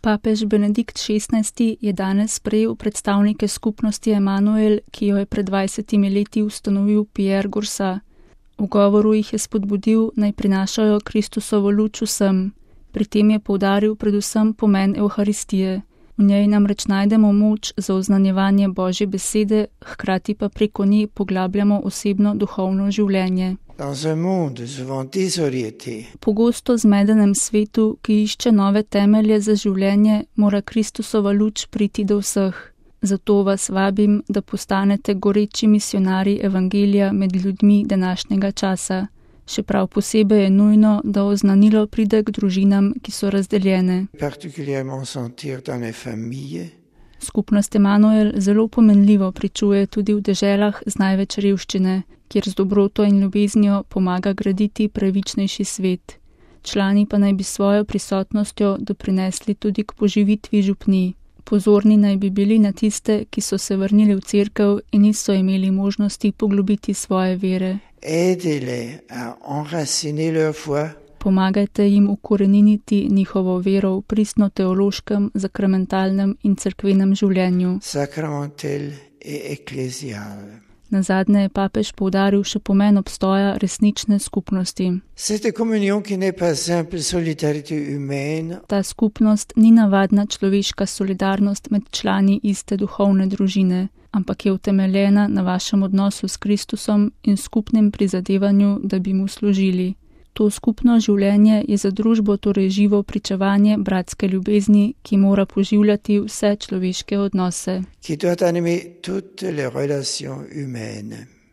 Papež Benedikt XVI je danes sprejel predstavnike skupnosti Emanuel, ki jo je pred 20 leti ustanovil Pierre Goursat. V govoru jih je spodbudil, naj prinašajo Kristusovo luč vsem. Pri tem je poudaril predvsem pomen Evharistije. V njej namreč najdemo moč za oznanjevanje Božje besede, hkrati pa preko nje poglabljamo osebno duhovno življenje. Pogosto zmedenem svetu, ki išče nove temelje za življenje, mora Kristusova luč priti do vseh. Zato vas vabim, da postanete goreči misionarji evangelija med ljudmi današnjega časa. Še prav posebej je nujno, da oznanilo pride k družinam, ki so razdeljene. Skupnost Emanuel zelo pomenljivo pričuje tudi v deželah z največ revščine, kjer z dobroto in ljubeznijo pomaga graditi pravičnejši svet. Člani pa naj bi svojo prisotnostjo doprinesli tudi k poživitvi župnij. Pozorni naj bi bili na tiste, ki so se vrnili v cerkev in niso imeli možnosti poglobiti svoje vere. Pomagajte jim ukoreniniti njihovo vero v pristno-teološkem, sakramentalnem in cerkvenem življenju. Nazadnje je papež poudaril še pomen obstoja resnične skupnosti. Ta skupnost ni navadna človeška solidarnost med člani iste duhovne družine, ampak je utemeljena na vašem odnosu s Kristusom in skupnem prizadevanju, da bi mu služili. To skupno življenje je za družbo torej živo pričevanje bratske ljubezni, ki mora poživljati vse človeške odnose.